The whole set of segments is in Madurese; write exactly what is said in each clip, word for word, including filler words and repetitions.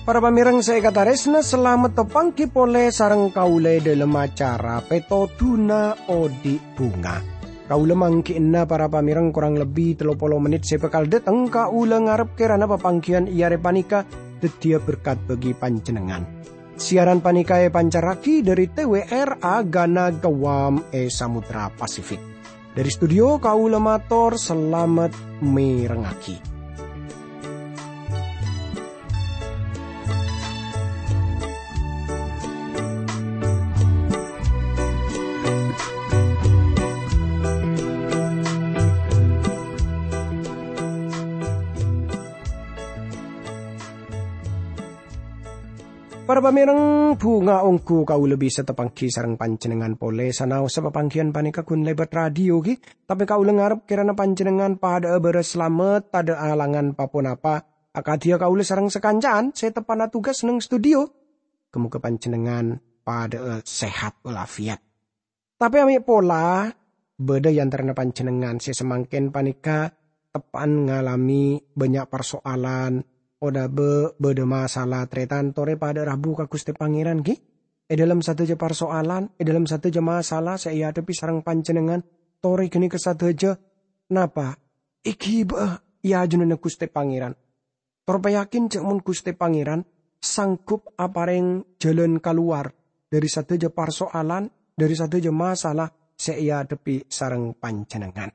Para pamèrèng sè èkatarèsna, salamet tapangghi polè sareng kaulâ è dhâlem acara Pètodhuna Odi' Bhunga. Kaulâ mangghi'na para pamèrèng korang lebbi tello polo mennit sè bhâkal dâteng. Kaulâ ngarep kèrana papangghiyân è arè panèka dhâddhiyâ berkat bagi panjhennengngan. Siaran panèka èpancarraghi dhâri T W R A Ghana Guam è Samudra Pasifik. Dhâri studio kaulâ mator salamet mèrengngaghi. Para pamèrèng, bhunga ongghu kaulâ bisa tapangghi sareng panjhennengngan polè, sanaossa papangghiyân panèka ghun lèbât radio, ghi. Tapè kaulâ ngarep kèrana panjhennengngan padâ'â bârâs salamet, tadâ' alangan pa-ponapa, akadhiyâ kaulâ sareng sakanca'an sè teppa'na tugas neng studio. Ghâ-moghâ panjhennengngan padâ'â sehat walafiat. Tapè amè' pola, bâdâ è antarana panjhennengngan sè samangkèn panèka teppa'an ngalamè bânnya' parsoalan, otabâ bâdâ masalah, tarètan torè padâ rabu ka Ghustè Pangèran, ghi. È dhâlem sadhâjâ parsoalan, è dhâlem sadhâjâ masalah sè èadhebbhi sareng panjhennengngan, torè ghânèka sadhâjâ napa èghibâ'â è ajunanna Ghustè Pangèran. Tor payakin jhâ' mon Ghustè Pangèran sanggup aparèng jhâlân kalowar dhâri sadhâjâ parsoalan, dhâri sadhâjâ masalah sè èadhebbhi sareng panjhennengngan.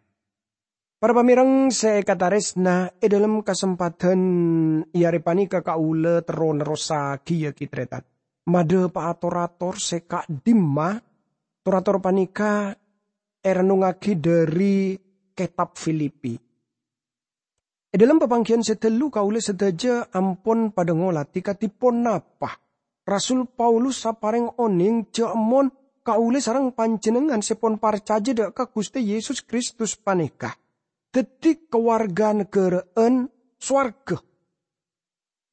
Para pamèrèng sè èkatarèsna, è dhâlem kasempadhân è arè panèka kaulâ terro nerrossaghiyâ, ghi, tarètan, madhâpa'a tor-ator sè ka'dimma. Tor-ator panèka èrennongngaghi dhâri Kètab Filipi. È dhâlem papangghiyân sè ghâllu kaulâ sadhâjâ ampon padâ ngolatè kadhi ponapa Rasul Paulus aparèng onèng jhâ' mon kaulâ sareng panjhennengngan sè pon parcajâ dhâ' ka Ghustè Yesus Kristus panèka dhâddhi kawarga naghârâ'ân sowarghâ.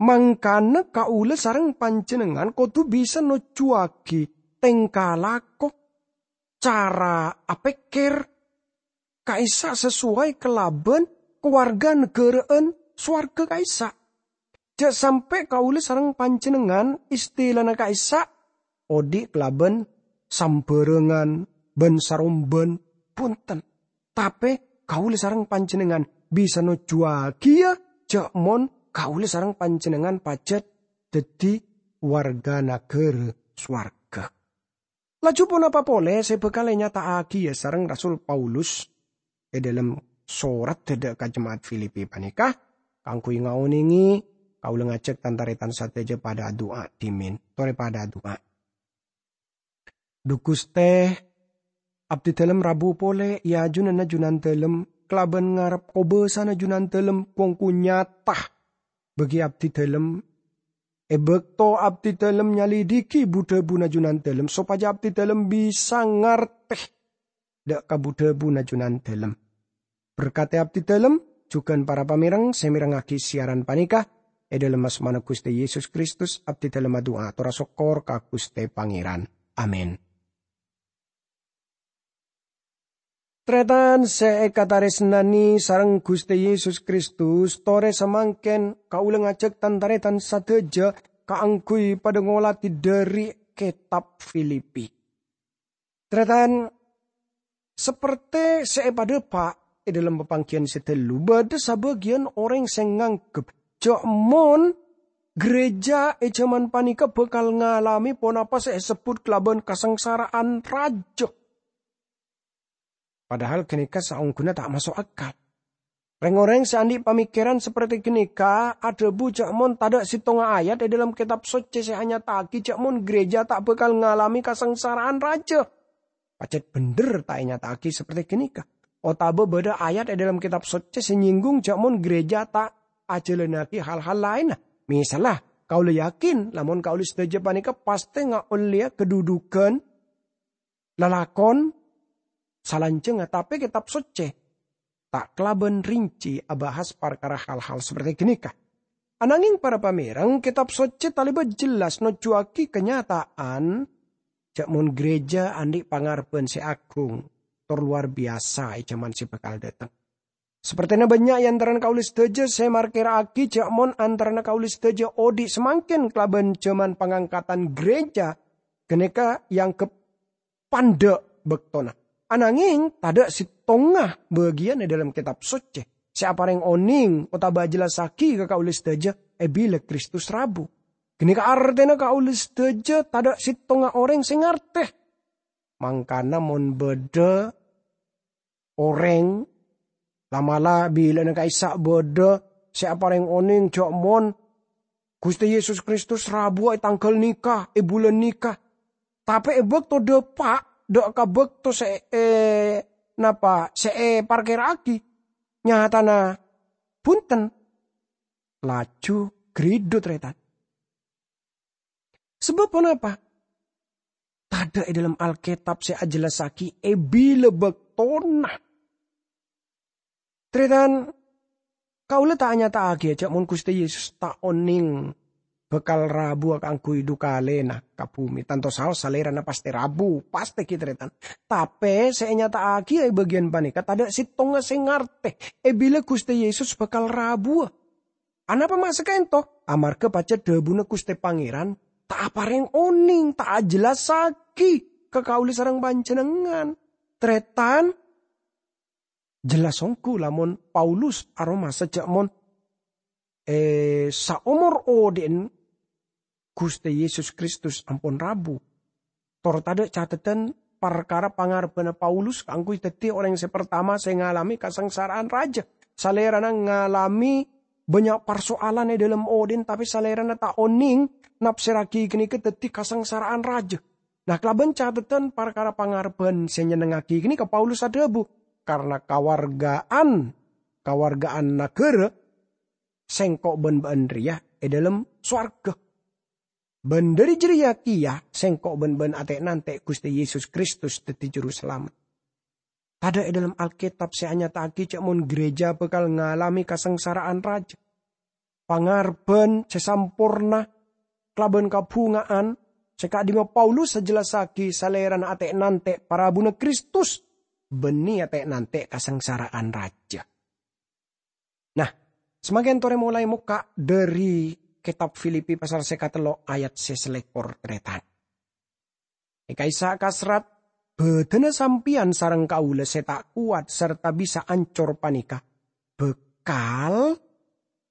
Mangkana kaulâ sareng panjhennengngan kodhu bisa nojjhuwâghi tèngka lako, cara apèkkèr ka'issa' sasoway kalabân kawarga naghârâ'ân sowarghâ ka'issa'. Jhâ' sampè' kaulâ sareng panjhennengngan istilana ka'issa' odi' kalabân sambhârângan bân sarombân, bhunten. Tapè kaulâ sareng panjhennengngan bisa nojjhuwâghiyâ jhâ' mon kaulâ sareng panjhennengngan pajhât dhâddhi warga naghârâ sowarghâ. Laju ponapa polè sè bhâkal ènyata'aghiyâ sareng Rasul Paulus è dhâlem sorat dhâ' ka jema'at Filipi panèka? Kaangghuy ngaonèngè, kaulâ ngajhâk tan-tarètan sadhâjâ padâ adu'a dhimèn. Torè padâ adu'a. Dhu Ghustè, abdhidhâlem rabu polè è ajunanna Junandhâlem kalabân ngarep kobâsana Junandhâlem kongko nyata bagi abdhidhâlem. È bâkto abdhidhâlem nyalidhighi bu-dhâbuna Junandhâlem sopajâ abdhidhâlem bisa ngartè dhâ' ka bu-dhâbuna Junandhâlem. Berkatè abdhidhâlem, jhughân para pamèrèng sè mèrengngaghi siaran panèka. È dhâlem asmana Ghustè Yesus Kristus, abdhidhâlem adu'a atorra sokkor ka Ghustè Pangèran. Amin. Tarètan sè èkatarèsnanè sareng Ghustè Yesus Kristus, torè samangkèn kaulâ ngajhâk tan-tarètan sadhâjâ kaangghuy padâ ngolatè dhâri Kètab Filipi. Tarètan, sapertè sè èpadhâpa' è dhâlem papangghiyân sè ghâllu, bâdâ sabâgiyân orèng sè nganggep jhâ' mon ghârèjâ è jhâman panèka bhâkal ngalamè ponapa sè èsebbhut kalabân kasangsara'an rajâ. Padahal ghânèka saongghuna ta' maso' akal. Rèng-orèng sè andi' pamikiran sapertè ghânèka adhâbu jhâ' mon tadâ' sèttonga ayat è dhâlem Kètab Soccè sè anyata'aghi jhâ' mon ghârèjâ ta' bhâkal ngalamè kasangsara'an rajâ. Pajhât bhender ta' ènyata'aghi sapertè ghânèka. Otabâ bâdâ ayat è dhâlem Kètab Soccè sè nyènggung jhâ' mon ghârèjâ ta' ajhâlânnaghi hal-hal laènna. Misalla, kaulâ yakin, lamon kaulâ sadhâjâ panèka pastè ngaollèya kadhudhughân lalakon salanjhângnga, tapè Kètab Soccè ta' kalabân rinci abahas parkara hal-hal sapertè ghânèka. Ananging para pamèreng, Kètab Socè talèbât jelas nojjhuwâghi kanyata'an jhâ' mon ghârèjâ andi' pangarebbhân sè aghung tor lowar biyasa è jhâman sè bhâkal dâteng. Sapertèna bânnya' è antarana kaulâ sadhâjâ sè markèra'aghi jhâ' mon antarana kaulâ sadhâjâ odi' samangkèn kalabân jhâman pangangkatan ghârèjâ ghânèka èangghep pandhâ' bâktona. Anangèng tadâ' sèttonga bâgiyân è dhâlem Kètab Socè sè aparèng onèng otabâ ajhellassaghi ka kaulâ sadhâjâ è bilâ Kristus rabu. Ghânèka artèna kaulâ sadhâjâ tadâ' sèttonga orèng sè ngartè. Mangkana mon bâdâ orèng, la'-mala' bilâna ka'issa' bâdâ sè aparèng onèng jhâ' mon Ghustè Yesus Kristus rabuwâ è tangghâl nèka, è bulân nèka. Tapè è bâkto dâpa', dâ' ka bâkto sè è-, napa, sè èparkèra'aghi, nyatana bhunten, laju ghâridhu, tarètan. Sabâb ponapa? Tadâ' è dhâlem Alkètab sè ajhellassaghi è bilâ bâktona. Tarètan, kaulâ ta' anyata'aghi jhâ' mon Ghustè Yesus ta' onèng bhâkal rabuwâ kaangghuy dhu kalèna ka bhumè. Tanto saos Salèrana pastè rabu, pastè ghi, tarètan. Tapè sè ènyata'aghi è bâgiyân panèka tadâ' sèttonga sè ngartè è bilâ Ghustè Yesus bhâkal rabuwâ. Anapa ma' saka'ènto? Amarghâ pajhât dhâbuna Ghustè Pangèran ta' aparèng onèng, ta' ajhellassaghi ka kaulâ sareng panjhennengngan. Tarètan, jelas ongghu lamon Paulus aromasa jhâ' mon è saomor odi'na Ghustè Yesus Kristus ampon rabu. Tor tadâ' cateddhân parkara pangarebbhâna Paulus kaangghuy dhâddhi orèng sè partama sè ngalamè kasangsara'an rajâ. Salèrana ngalamè bânnya' parso'alan è dhâlem odi'na, tapè salèrana ta' onèng napsèrraghi ghânèka dhâddhi kasangsara'an rajâ. Nah, kalabân cateddhân parkara pangarebbhân sè nyennengngaghi ghânèka Paulus adhâbu, "Karna kawarghâ'ân, kawarghâ'ân naghârâ, sèngko' bân bâ'ân rèya è dhâlem sowarghâ. Bân dhâri jârèya kèya sèngko' bân bâ'ân atè'-nantè' Ghustè Yesus Kristus dhâddhi Jurusalamet." Tadâ' è dhâlem Alkètab sè anyata'aghi jhâ' mon ghârèjâ bhâkal ngalamè kasangsara'an rajâ. Pangarebbhân sè samporna kalabân kabhunga'an sè ka'dimma Paulus ajellassaghi salèrana atè'-nantè' parabuna Kristus, bânnè atè'-nantè' kasangsara'an rajâ. Nah, samangkèn torè molaè mokka' dhâri Kètab Filipi pasal sè katello' ayat sè salèkor, tarètan. È ka'issa' kaserrat, bâdânna sampèyan sareng kaulâ sè ta' kowat sarta bisa ancor panèka bhâkal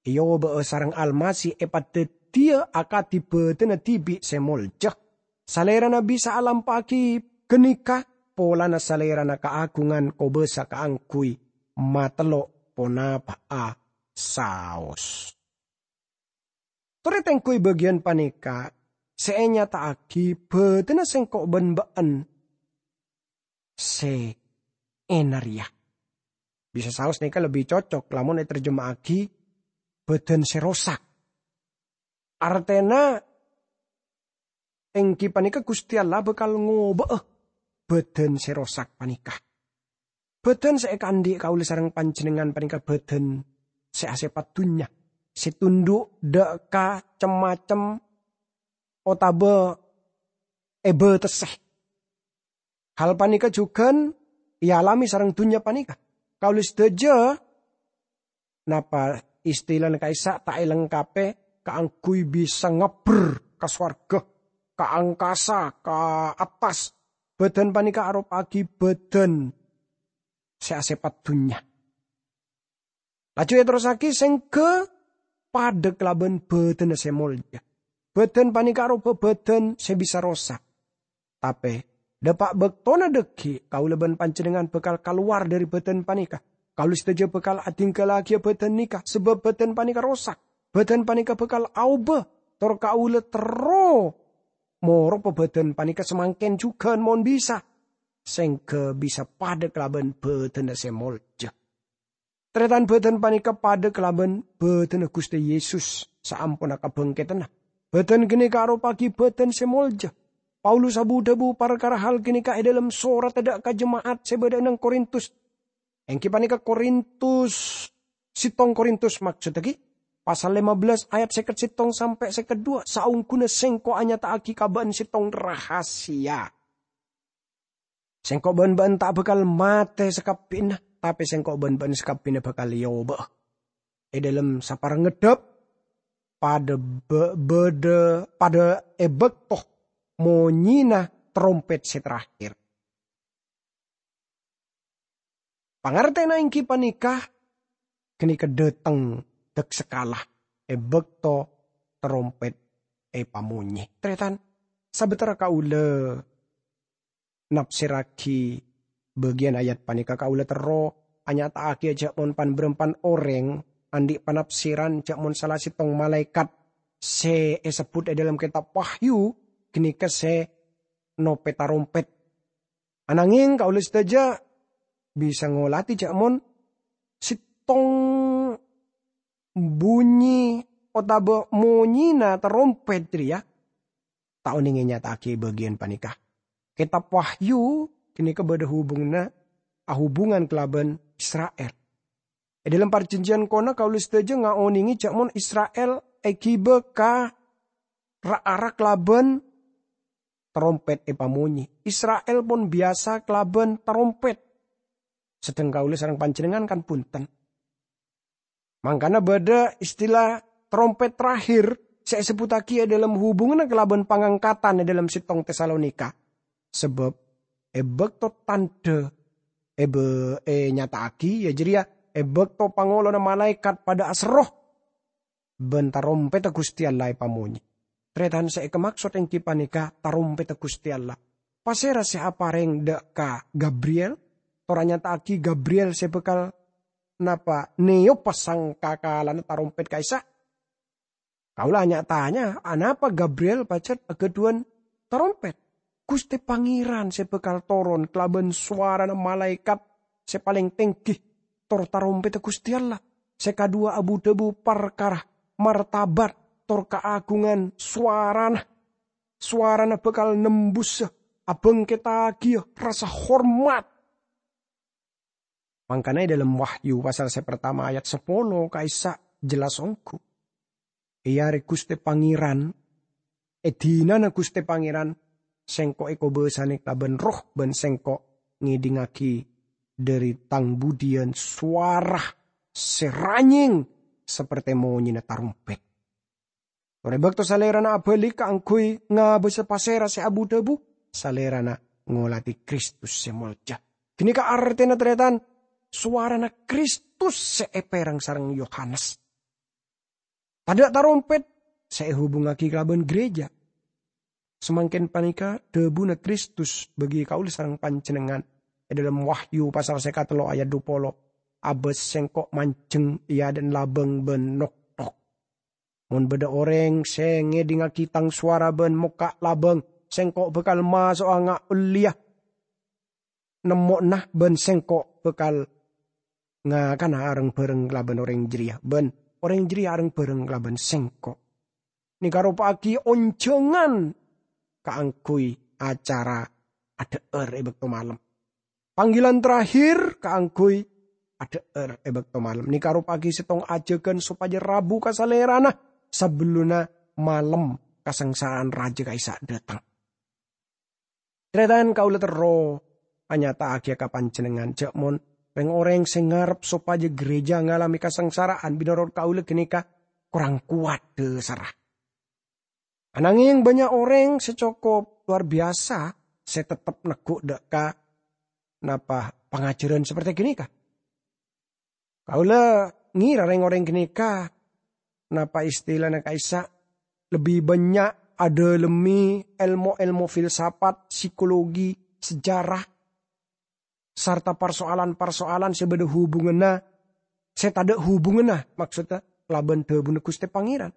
èobâ'â sareng Almasih èpadhâddhiyâ akadhi bâdânna dhibi' sè molja. Salèrana bisa alampa'aghi ghânèka polana Salèrana kaagungan kobâsa kaangghuy matello' ponapa'a saos. Torè tengghu è bâgiyân panèka sè ènyata'aghi bâdânna sèngko' bân bâ'ân sè ènna rèya. Bisa saos nèka lebbi cocok lamon ètarjema'aghi bâdân sè rosak. Artèna, èngghi panèka Ghustè Allah bhâkal ngobâ'â bâdân sè rosak panèka. Bâdân sè èkaandhi' kaulâ sareng panjhennengngan panèka bâdân sè asèpat dhunnya, sè tundhu' dâ' ka cem-macem otabâ èbâtessè. Hal panèka jhughân èalamè sareng dhunnya panèka. Kaulâ sadhâjâ, napa istilana ka'issa' ta' èlengkapè kaangghuy bisa ngabbher ka sowarghâ, ka angkasa, ka attas. Bâdân panèka aropa'aghi bâdân sè asèpat dhunnya. Laju èterrossaghi sèngghâ padâ kalabân bâdânna sè molja. Bâdân panèka aropa bâdân sè bisa rosak. Tapè, dâpa' bâktona dhâggi', kaulâ bân panjhennengngan bhâkal kalowar dhâri bâdân panèka. Kaulâ sadhâjâ bhâkal adhingghâllaghiyâ bâdân nèka, sabâb bâdân panèka rosak. Bâdân panèka bhâkal aobâ, tor kaulâ terro moropa bâdân panèka samangkèn jhughân mon bisa, sèngghâ bisa padâ kalabân bâdânna sè molja. Tarètan, bâdân panèka padâ kalabân bâdânna Ghustè Yesus saamponna kabhângkèdhânna. Bâdân ghânèka aropa'aghi bâdân sè molja. Paulus abu-dhâbu parkara hal ghânèka è dhâlem soratta dâ' ka jema'at sè bâdâ è nang Korintus. Èngghi panèka Korintus, sèttong Korintus, maksoddhâghi, pasal lima belas ayat seket settong sampè' seket dua, "Saongghuna Sengko' anyata'aghi ka bâ'na settong rahasia. Sengko' bân bâ'na ta' bhâkal matè sakabbhiyânna, tapè Sengko' bân bâ'na sakabbhiyânna bhâkal èobâ'â." È dâlem saparèng ngeddhâp, padâ bâ-, bâdâ, padâ è bâkto monyèna tarompèt sè terakhir. Pangartèna èngghi panèka, ghânèka dâteng dâksakala è bâkto tarompèt èpamonyè. Tarètan, sabâtara kaulâ nafsèrraghi bâgiyân ayat panèka, kaulâ terro anyata'aghi jhâ' mon pan-bârâmpan orèng andi' panafsiran jhâ' mon sala settong malaèkat sè èsebbhut è dâlem kètab Wahyu ghânèka sè nopè tarompèt. Anangèng kaulâ sadhâjâ bisa ngolatè jhâ' mon settong bhunyi otabâ monyèna tarompèt jârèya ta' onèng ènyata'aghi bâgiyân panèka. Kètab Wahyu ghânèka bâdâ hubunganna, ahubungan kalabân Isra'il. È dâlem Parjhânjhiyân Kana kaulâ sadhâjâ ngaonèngè jhâ' mon Isra'il èghibâ ka ra-ara kalabân tarompèt èpamonyè. Isra'il pon biyasa kalabân tarompèt. Sedheng kaulâ sareng panjhennengngan kan bhunten. Mangkana bâdâ istilah tarompèt terakhir sè èsebbhuttaghi è dâlem hubunganna kalabân pangangkatan è dâlem settong Tesalonika. Sabâb è bâkto tandhâ èbâ-, ènyata'aghi, iyâ jârèya è bâkto pangolona malaèkat padâ aserro, bân tarompèdda Ghustè Allah èpamonyè. Tarètan sè èkamaksod èngghi panèka tarompèdda Ghustè Allah. Pasèra sè aparèng dâ' ka Gabriel, tor anyata'aghi Gabriel sè bhâkal napa nèyopa sangkakalana tarompèt ka'issa'? Kaulâ nya-tanya, anapa Gabriel pajhât aghâdhuwân tarompèt? Ghustè Pangèran sè bhâkal toron kalabân sowarana malaèkat sè palèng tèngghi, tor tarompèdda Ghustè Allah sè kadhuwâ abu-dhâbu parkara martabat tor kaagungan sowarana. Sowarana bhâkal nembusa, abhângkèttaghiyâ rasa hormat. Mangkana è dâlem Wahyu pasal sè partama ayat sapolo ka'issa' jelas ongghu. È arè Ghustè Pangèran, è dinana Ghustè Pangèran, sèngko' èkobâsanè kalabân Erroh bân sèngko' ngèdingngaghi dâri tang budiyân sowara sè ranyèng saperte monyèna tarompèt. Tor è bâkto Salèrana abâli kaangghuy ngabâsa pasèra sè abu-dhâbu, Salèrana ngolatè Kristus sè molja. Ghânèka artèna, tarètan, sowarana Kristus sè èpèreng sareng Yohanes. Tadâ' tarompèt sè èhubungngaghi kalabân ghârèjâ. Samangkèn panèka dhâbuna Kristus bagi kaulâ sareng panjhennengngan. È dâlem Wahyu pasal sèket tello ayat dupolo, "Abâs sèngko' manjheng è adâ'na labâng bân noktok. Mon bâdâ orèng sè ngèdingngaghi tang sowara bân mokka' labâng, sèngko' bhâkal maso'a nga' ollèya nemmo'na bân sèngko' bhâkal ngakana areng-bhâreng kalabân orèng jârèya, bân orèng jârèya areng-bhâreng kalabân sèngko'." Nèka ropa'aghi onjhângan kaangghuy acara adhâ'âr è bâkto malem. Panggilan terakhir kaangghuy adhâ'âr è bâkto malem. Nèka ropa'aghi sèttong ajhâghân sopajâ rabu ka Salèrana sabellunna malem kasangsara'an rajâ ka'issa' dâteng. Tarètan, kaulâ terro anyata'aghiyâ ka panjhennengngan jhâ' mon rèng-orèng sè ngarep sopajâ ghârèjâ ngalamè kasangsara'an binonorot kaulâ ghânèka korang kowat dhâsarra. Anangèng bânnya' orèng sè cokop lowar biyasa sè tettep neggu' dâ' ka napa pangajhârân saperte ghânèka. Kaulâ ngèra rèng-orèng ghânèka, napa istilana ka'issa', lebbi bânnya' adâlemmè èlmo-èlmo filsafat, psikologi, sejarah, sarta parsoalan-parsoalan sè bâdâ hubunganna, sè tadâ' hubunganna, maksodda, kalabân dhâbuna Ghustè Pangèran.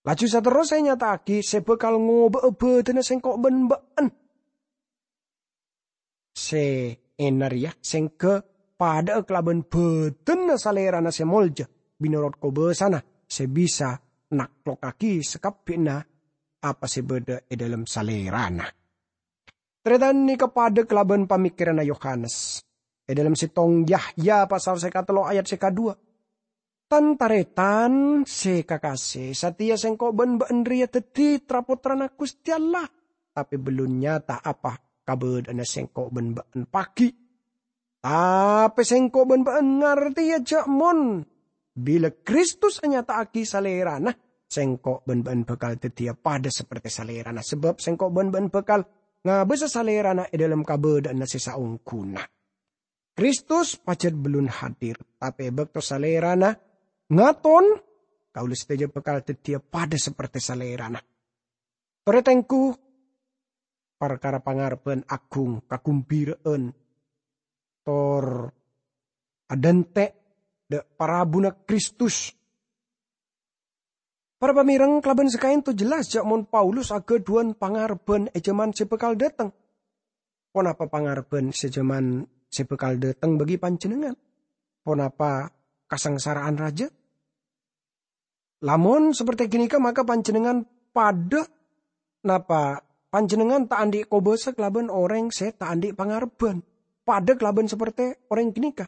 Laju saterrossa ènyata'aghi sè bhâkal ngobâ'â bâdânna sèngko' bân bâ'na. Sè ènna rèya sèngghâ padâ'â kalabân bâdânna Salèrana sè molja, binonorot kobâsana sè bisa naklokkaghi sakabbhiyânna apa sè bâdâ è dâlem Salèrana. Tarètan, nèka padâ kalabân pamèkkèranna Yohanes. È dâlem sèttong Yahya pasal sè katello' ayat sè kaduwâ. Tan-taretan se kakase, sateya sengko' ban ba'en reya daddi tra-pottrana Guste Allah, tape bellun nyata apa kabadha'anna sengko' ban ba'en pagi. Tape sengko' ban ba'en ngarteya ja' mon bila Kristus anyata'agi Salerana, sengko' ban ba'en bakal daddiya padha saperte Salerana, sabab sengko' ban ba'en bakal ngabasa Salerana e dhalem kabadha'anna se saongguna. Kristus pajat bellun hadir, tape e bakto Salerana ngaton, kaula sadaja bakal daddiya padha saperte Salerana. Tore tenggu parkara pangarebban agung, kagumbira'an, tor adante' dha' parabuna Kristus. Para pamereng, kalaban sakaento jelas ja' mon Paulus agadhuwan pangarebban e jaman se bakal dhateng. Ponapa pangarebban se jaman se bakal dhateng bagi panjennengngan? Ponapa kasangsara'an raja? Lamon saperte ganeka, maka panjennengngan padha napa panjennengngan ta' andhi' kobasa kalaban oreng se ta' andhi' pangarebban, padha kalaban saperte oreng ganeka.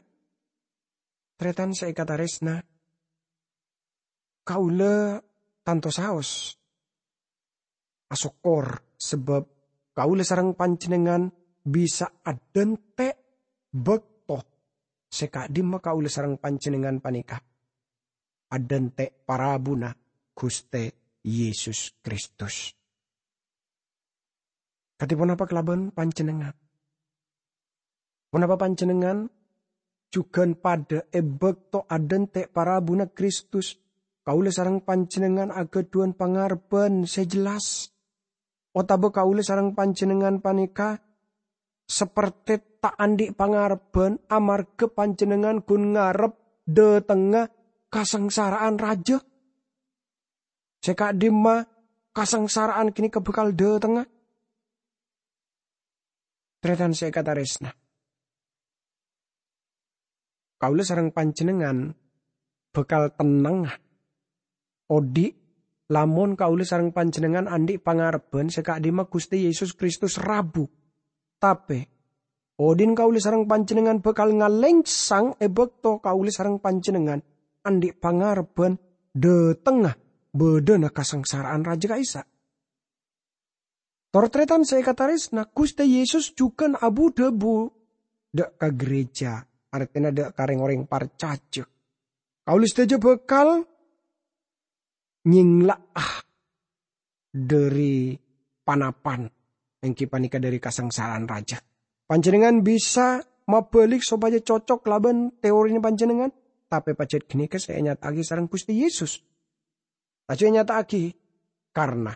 Taretan se ekataresna, kaula tanto saos asokkor sabab kaula sareng panjennengngan bisa adante' bakto se ka'dimma kaula sareng panjennengngan paneka adante' parabuna Guste Yesus Kristus. Kadi ponapa kalaban panjennengngan? Ponapa panjennengngan jugan padha e bakto adante' parabuna Kristus? Kaula sareng panjennengngan agadhuwan pangarebban se jelas. Otaba kaula sareng panjennengngan paneka saperte ta' andhi' pangarebban amarga panjennengngan gun ngarep dhatengnga kasangsara'an raja? Se ka'dimma kasangsara'an ganeka bakal dhatengnga? Taretan se ekataresna, kaula sareng panjennengngan bakal tennengnga odhi' lamon kaula sareng panjennengngan andhi' pangarebban se ka'dimma Guste Yesus Kristus rabu. Tape, odhi'na kaula sareng panjennengngan bakal ngalengsang e bakto kaula sareng panjennengngan andhi' pangarebban dhatengnga badhana kasangsara'an raja ka'issa'. Tor taretan se ekataresna, Guste Yesus jugan abu-dhabu dha' ka gereja, artena dha' ka reng-oreng parcaja. Kaula sadaja bakal nyengla'a dhari panapan, enggi paneka dhari kasangsara'an raja. Panjennengngan bisa mabalik sopajha cocok kalaban teorina panjennengngan, tape pajat ganeka se enyata'agi sareng Guste Yesus. Laju enyata'agi, karna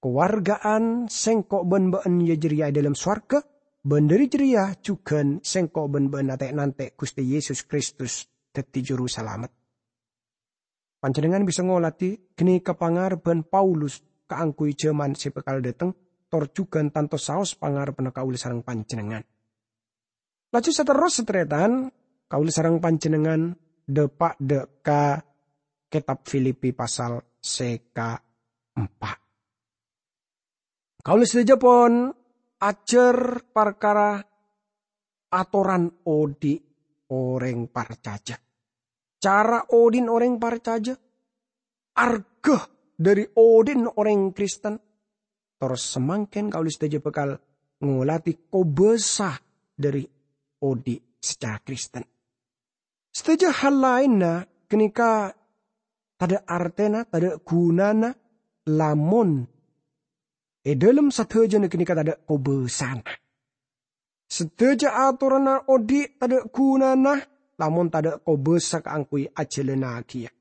kowarga'an sengko' ban ba'en ya jareya e dhalem sowarga, ban dhari jareya jugan sengko' ban ba'en ate'-nante' Guste Yesus Kristus daddi Juru Salamet. Panjennengngan bisa ngoladi ganeka pangarebban Paulus kaangguy jaman se bakal dhateng, tor jugan tanto saos pangarebbanna kaula sareng panjennengngan. Laju saterrossa, taretan, kaula sareng panjennengngan dha'-, pa-, dha' ka Ketab Filipi pasal se kaempa'. Kaula sadaja pon ajar parkara atoran odhi' oreng parcaja. Cara odhi'na oreng parcaja, arga dhari odhi'na oreng Kristen. Tor samangken kaula sadaja bakal ngoladi kobasa dhari odhi' sacara Kristen. Sadaja hal laenna ganeka tadha' artena, tadha' gunana, lamon e dhalem sadajana ganeka tadha' kobasana. Sadaja atoranna odhi' tadha' gunana, lamon tadha' kobasa kaangguy ajalannagiya.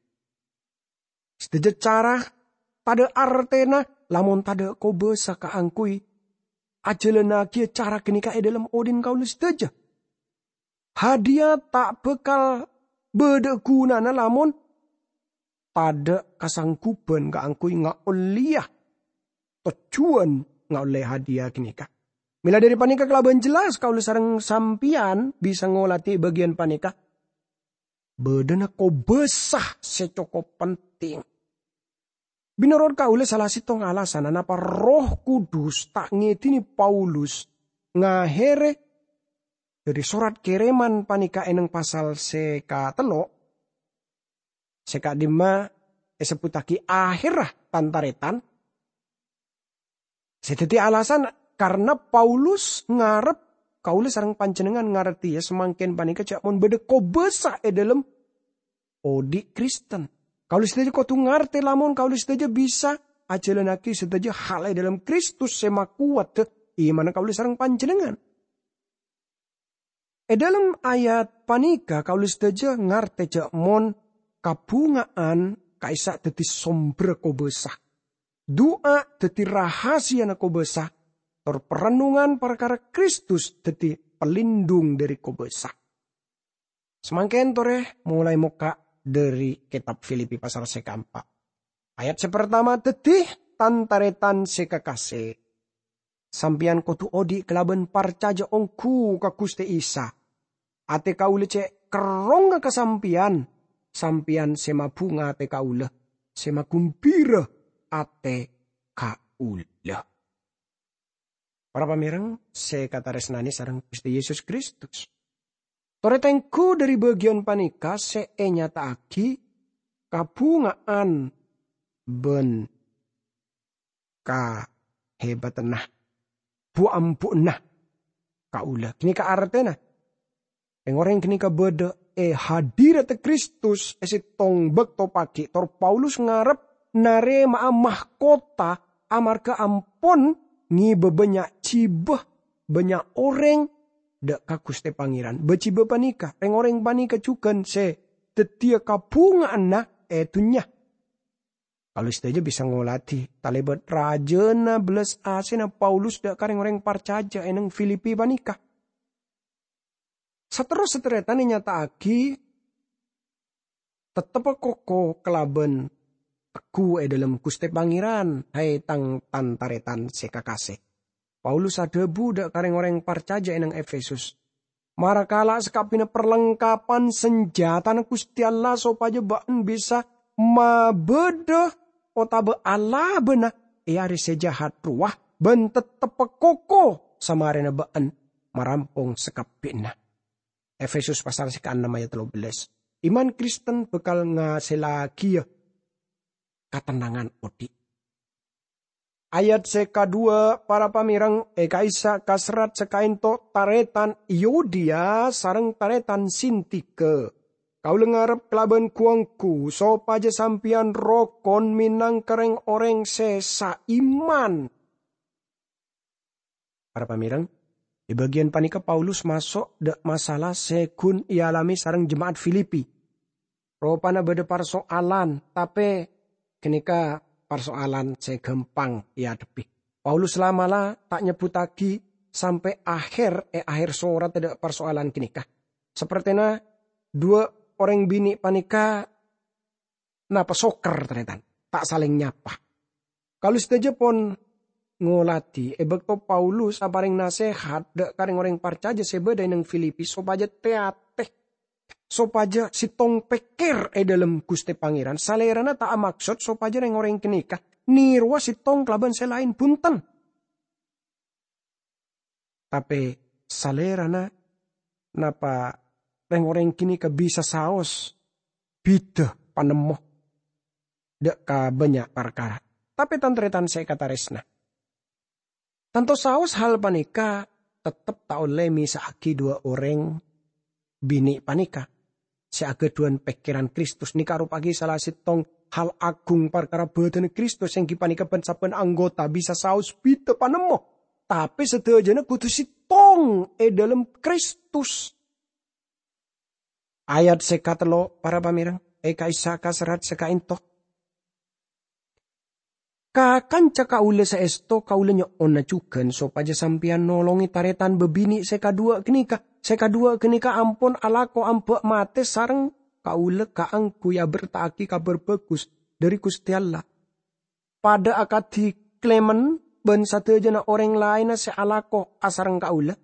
Sadaja cara tadha' artena, lamon tadha' kobasa kaangguy ajalannagiya cara ganeka e dhalem odhi'na kaula sadaja. Hadiya ta' bakal badha gunana lamon tadha' kasangguban kaangguy ngaolleya tojjuwan ngaolle hadiya ganeka. Mela dhari paneka kalaban jelas kaula sareng sampeyan bisa ngoladi bagiyan paneka. Badhana kobasa se cokop penting. Menorot kaula, sala settong alasanna napa Erroh Kudus ta' ngedine Paulus ngahere dhari sorat kereman paneka eneng pasal se katello', sè ka'dimma èsebbhuttaghi aherra, tan-tarètan. Sè dhâddhi alasan karna Paulus ngarep kaulâ sareng panjhennengngan ngartèya samangkèn panèka jhâ' mon bâdâ kobâsa è dhâlem odi' Kristen. Kaulâ sadhâjâ kodhu ngartè lamon kaulâ sadhâjâ bisa ajhâlannaghi sadhâjâ hal è dhâlem Kristus sè makowat imanna kaulâ sareng panjhennengngan. È dhâlem ayat panèka kaulâ sadhâjâ ngartè jhâ' mon kabhunga'an ka'issa' dhâddhi sombherra kobâsa. Du'a dhâddhi rahasiyana kobâsa, tor parennongan parkara Kristus dhâddhi palindung dhâri kobâsa. Samangkèn torè molaè mokka' dhâri kètab Filipi pasal sè kaempa'. Ayat sè partama, dhâddhi, tan-tarètan sè kakasè, sampèyan kodhu odi' kalabân parcajâ ongghu ka Ghustè Isa. Atè kaulâ cè' kerrongnga ka sampèyan, sampèyan sè mabhunga atè kaulâ, sè magumbira atè kaulâ. Para pamèreng sè èkatarèsnanè sareng Ghustè Yesus Kristus. Torè tengghu dhâri bâgiyân panèka sè ènyata'aghi kabhunga'an bân kahèbâdhânna, bu-ambu'na kaulâ. Ghânèka artèna, rèng-orèng ghânèka bâdâ è hadiradda Kristus è sèttong bâkto pagi', tor Paulus ngarep narèma'a mahkota amarghâ ampon ngèbâ bânnya' jibâ, bânnya' orèng dâ' ka Ghustè Pangèran. Bâ-jibâ panèka, rèng-orèng panèka jhughân sè dhâddhiyâ kabhunga'anna è dhunnya. Kaulâ sadhâjâ bisa ngolatè talèbât rajâna bellas asèna Paulus dâ' ka rèng-orèng parcajâ è neng Filipi panèka. Saterrossa tarètan ènyata'aghi, "Tettebbhâ koko kalabân tegghu è dhâlem Ghustè Pangèran, hai tang tan-tarètan sè kakasè." Paulus adhâbu dâ' ka rèng-orèng parcajâ è neng Efesus, "Mara kala' sakabbhiyânna parlengkapan sanjhâtana Ghustè Allah sopajâ bâ'en bisa mabâdâ otabâ alabâna è arè sè jahat rowa, bân tettebbhâ koko samarèna bâ'en marampong sakabbhiyânna." Efesus pasal sè kaennem ayat tello bellas. Iman Kristen bhâkal ngasèllaghiyâ katennangan odi'. Ayat sè kaduwâ, para pamèreng, è ka'issa' ka serrat sè kaènto, tarètan Yodiya sareng tarètan Sintika. Kaulâ ngarep kalabân gu-ongghu sopajâ sampèyan rokon mènangka rèng-orèng sè saiman. Para pamèreng, è bâgiyân panèka Paulus maso' dâ' masalah sè ghun èalamè sareng jema'at Filipi. Ropana bâdâ parso'alan, tapè ghânèka parso'alan sè ghâmpang èadhebbhi. Paulus la'-mala' ta' nyebbhuttaghi sampè' aher è aher sorat dâ' parso'alan ghânèka. Sapertèna duwâ' orèng binè' panèka napa sokkèr, tarètan, ta' salèng nyapa. Kaulâ sadhâjâ pon ngolatè è bâkto Paulus aparèng nasèhat dâ' ka rèng-orèng parcajâ sè bâdâ è neng Filipi sopajâ tè-atè, sopajâ sèttong pèkkèr è dhâlem Ghustè Pangèran. Salèrana ta' amaksod sopajâ rèng-orèng ghânèka nèrowa sèttong kalabân sè laèn, bhunten. Tapè salèrana napa rèng-orèng ghânèka bisa saos bhidhâ panemmo dâ' ka bânnya' parkara. Tapè tan-tarètan sè èkatarèsna, tanto saos hal panèka tettep ta' ollè mèsa'aghi duwâ' orèng binè' panèka sè aghâdhuwân pèkkèran Kristus, nèka arupa'aghi sala sèttong hal aghung parkara bhâdhânna Kristus, èngghi panèka bân-sabbhân anggota bisa saos bhidhâ panemmo, tapè sadhâjâna kodhu sèttong è dhâlem Kristus. Ayat sè katello', para pamèreng, è ka'issa' ka serrat sè kaènto. Ka kanca kaulâ sè èsto, kaulâ nyo'ona jhughân sopajâ sampèyan nolongè tarètan bâbinè' sè kaduwâ' ghânèka. Sè kaduwâ' ghânèka ampon alako amba' matè sareng kaulâ kaangghuy aberta'aghi Kabhâr Bhâghus dhâri Ghustè Allah. Padâ akadhi Klemens bân sadhâjâna orèng laènna sè alako asareng kaulâ.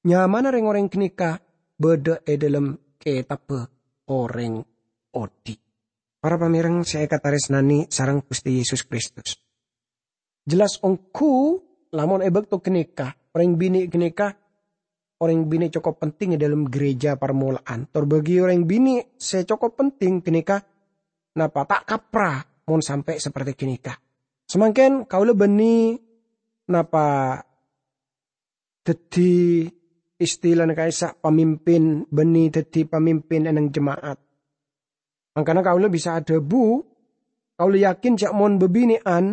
Nyamana rèng-orèng ghânèka bâdâ è dhâlem Kètabbhâ Orèng Odi'. Para pamèreng sè èkatarèsnanè sareng Ghustè Yesus Kristus. Jelas ongghu, lamon è bâkto ghânèka, orèng binè' ghânèka orèng binè' cokop penting è dhâlem ghârèjâ parmola'an. Tor bagi orèng binè' sè cokop penting ghânèka napa, ta' kapra mon sampè' saperti ghânèka. Samangkèn kaulâ bânnè, napa, dhâddhi istilana ka'issa' pamimpin, bânnè dhâddhi pamimpin è nèng jema'at. Mangkana kaulâ bisa adhâbu, kaulâ yakin jhâ' mon bâbinè'an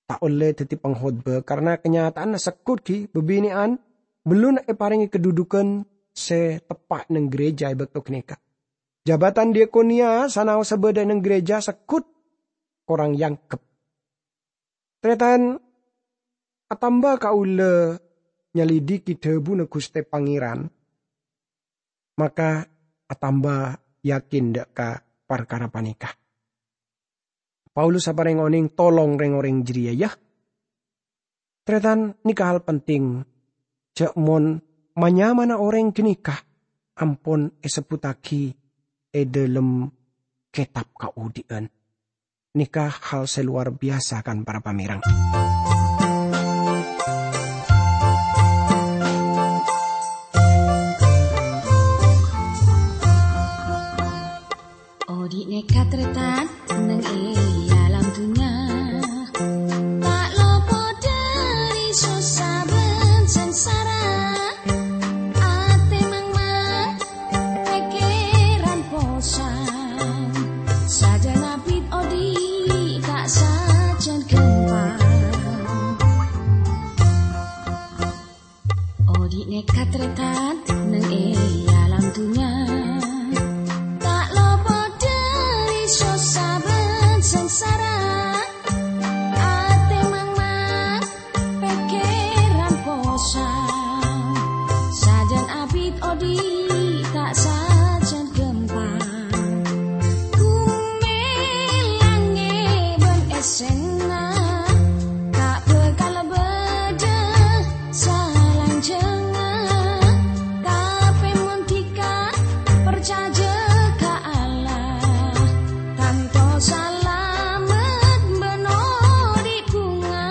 ta' ollè dhâddhi pangkhotbah, karna kanyata'anna segghut ghi' bâbinè'an bellunna èparèngè kadhudhughân sè teppa' nèng ghârèjâ è bâkto ghânèka. Jabatan diakonia sanaossa bâdâ nèng ghârèjâ segghut korang èangghep. Tarètan, atamba kaulâ nyalidiki dhâbuna Ghustè Pangèran, maka atamba yakin dâ' ka parkara panèka. Paulus aparèng onèng tolong rèng-orèng jârèya, ya. Tarètan, nèka hal penting, jhâ' mon ma-nyamana orèng ghânèka ampon èsebbhuttaghi è dâlem kètab kaodi'ân. Nèka hal sè lowar biyasa, kan, para pamèreng. Odi' nèka tarètan nèng è alam dhunnya, ta' lopot dâri sossa bân sangsara. Atè mangmang, pèkkèran posang, sajân abit odi' ta' sajân ghâmpang. Odi' nèka tarètan nèng è alam dhunnya, ta' lopot dâri sossa bân sangsara. Atè mangmang, pèkkèran posang, sajân abit odi' ta' sajân ghâmpang. Bhumè langngè' bân èssèna ta' bhâkal bâdâ salanjhângnga. Tapè mon dhika parcajâ ka Allah, tanto salamet bân odi' bhunga.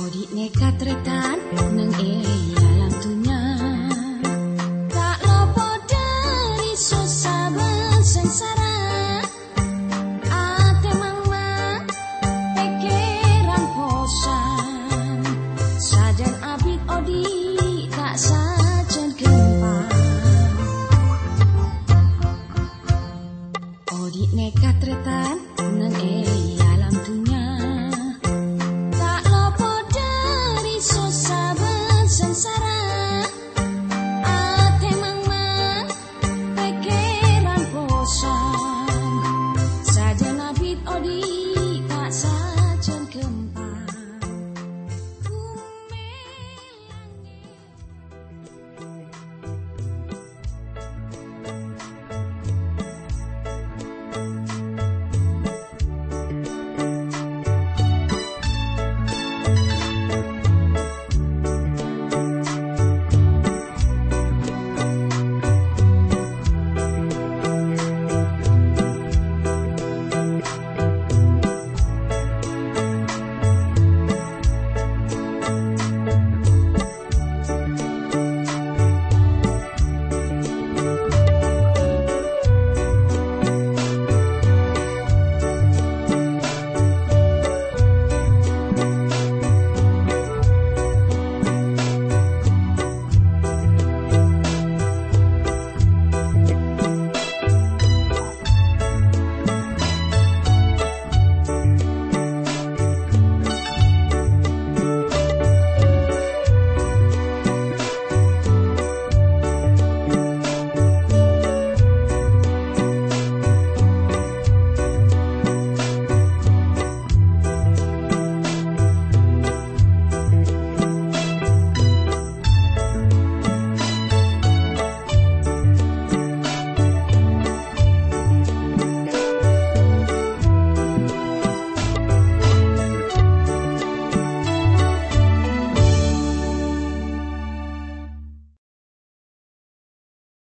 Odi' nèka tarètan nèng è alam dhunnya, ta' lopot dâri sossa bân sangsara. Atè mangmang, pèkkèran posang, sajân abit odi'